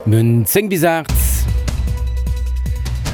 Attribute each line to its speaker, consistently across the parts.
Speaker 1: Mir hunn 10 bis 8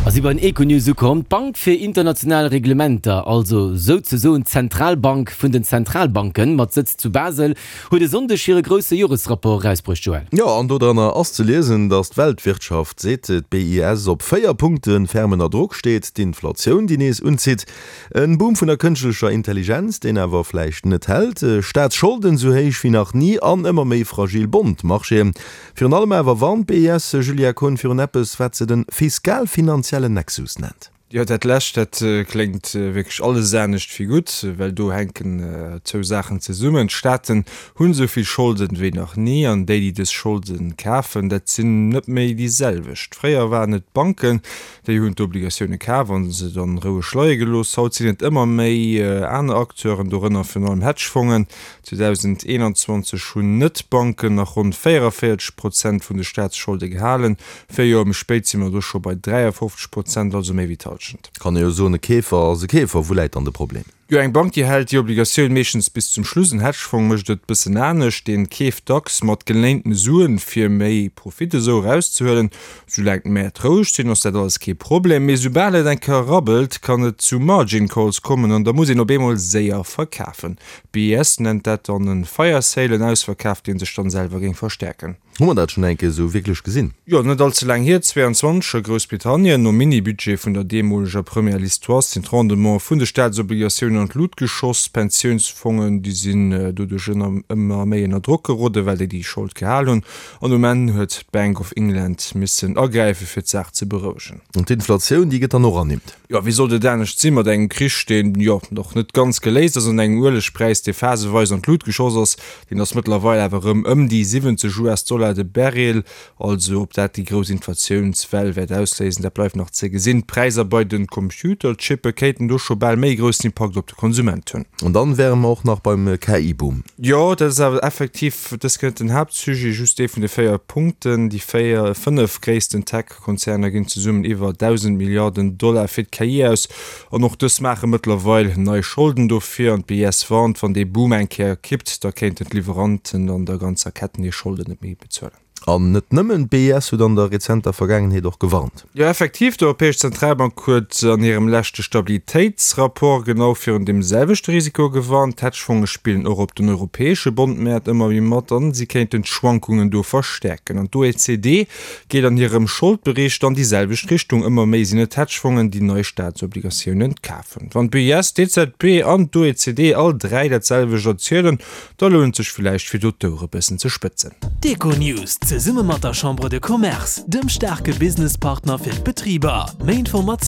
Speaker 1: a si bei den Econews ukomm. D'Bank fir international Reglementer, also souzesoen d'Zentralbank vun den Zentralbanken, mat Sëtz zu Basel, huet e Sonndeg hire grousse Joresrapport erausbruecht, Joël.
Speaker 2: Jo, an dodranner ass ze liesen, datt d'Weltwirtschaft, seet d'BIS, op 4 Punkte ferm ënner Drock steet, d'Inflatioun, déi nees unzitt, En Boom vun der kënschtlecher Intelligenz, deen awer vläicht net hält, Staatsscholden sou héich wéi nach ni an ëmmer méi fragil Bond-Marchéen. Virun allem awer warnt d'BIS, Julia Kohn, virun eppes, wat se den fiskal-finanziellen Nexus nennt.
Speaker 3: Jo, dat lescht, dat kléngt wierklech alles anescht wéi gutt, well do hänken zwou Saachen zesummen. D'Staaten hunn esou vill Scholden wéi nach ni an déi, déi dës Scholden kafen, dat sinn net méi déi selwecht. Fréier waren et d'Banken, Déi hunn d'Obligatioune kaf a se dann roueg leie gelooss. Haut sinn et ëmmer méi aner Acteuren, dorënner virun allem Hedgefongen. 2021 hunn Net-Banken nach ronn 44 Prozent vun de Staatsscholde gehalen. Véier Joer méi spéit si mer do scho bei 53 Prozent, also méi wéi d'Hallschent.
Speaker 2: Kann ee jo soen, e Keefer ass e Keefer. Wou läit dann de Problem?
Speaker 3: Jo, eng Bank, déi hält déi Obligatioun meeschtens bis zum Schluss. En Hedgefong mécht et bëssen anescht, deen keeft dacks mat geléinten Suen, fir méi Profit esou erauszehuelen. Soulaang d'Mäert roueg sinn, ass dat alles kee Problem, mee soubal et eng Kéier rabbelt, kann et zu Margin Calls kommen an da muss een op eemol séier verkafen. D'BIS nennt dat dann en Fire Sale, en Ausverkaf, dee sech dann selwer géing verstäerken.
Speaker 2: Hu mer dat schonn eng Kéier esou wierklech gesinn?
Speaker 3: Jo, net all ze laang hier, 22 a Groussbritannien, nom Mini-Budget vun der deemoleger Première Liz Truss sinn d'Rendemente vun de Staatsobligatiounen an d'Lut geschoss. D'Pensiounsfongen, déi sinn doduerch ënner ëmmer méi ënner Drock geroden, well déi déi Schold gehal hunn. An um Enn huet d'Bank of England missen agräifen, fir d'Saach ze berouegen.
Speaker 2: An d'Inflatioun, déi gëtt dann och ernimmt?
Speaker 3: Jo, wéi sollt et anescht sinn, mat engem Krich, deen, jo, och net ganz geléist ass, an engem Uelegpräis, dee phaseweis an d'Lut geschoss ass. Deen ass mëttlerweil awer erëm ëm déi 70 US-Dollar de Barrel. Also ob dat déi grouss Inflatiounswell wäert ausléisen, dat bleift nach ze gesinn. D'Präisser bei de Computerchippe kéinten do scho bal méi e groussen Impakt op de Konsument hunn.
Speaker 2: An dann wäre mer och nach beim KI-Boom.
Speaker 3: Jo, dat ass awer effektiv dës Kéier net den Haaptsujet, just ee vun de 4 Punkten. Déi 4, 5 gréissten Tech. Konzerner ginn zesummen iwwer 1.000 Milliarden Dollar fir d'KI aus an och dës maache mëttlerweil nei Scholden dofir. An d'BIS warnt, wann dee Boom eng Kéier kippt, da kéinten d'Liwweranten an der ganzer Ketten hir Scholden net méi bezuelen.
Speaker 2: An net nëmmen d'BIS huet an der rezenter Vergaangenheet och gewarnt.
Speaker 3: Jo, effektiv, d'Europäesch Zentralbank huet an hirem leschte Stabilitéitsrapport genau virun deem selwechte Risiko gewarnt. D'Hedgefonge spillen och op den europäesche Bondmäert ëmmer méi mat an si kéinten d'Schwankungen do verstäerken. An d'OECD Geet an hirem Scholdbericht an déi selwecht Richtung. Ëmmer méi sinn et Hedgefongen, déi nei Staatsobligatiounen kafen. Wann d'BIS, d'EZB an d'OECD all 3 dat selwecht erzielen, da lount et sech villäicht fir do d'Ouere bëssen ze spëtzen.
Speaker 4: D'Econews zesumme mat der Chambre de Commerce, dem staarke Businesspartner fir d'Betriber. Méi Informatiounen.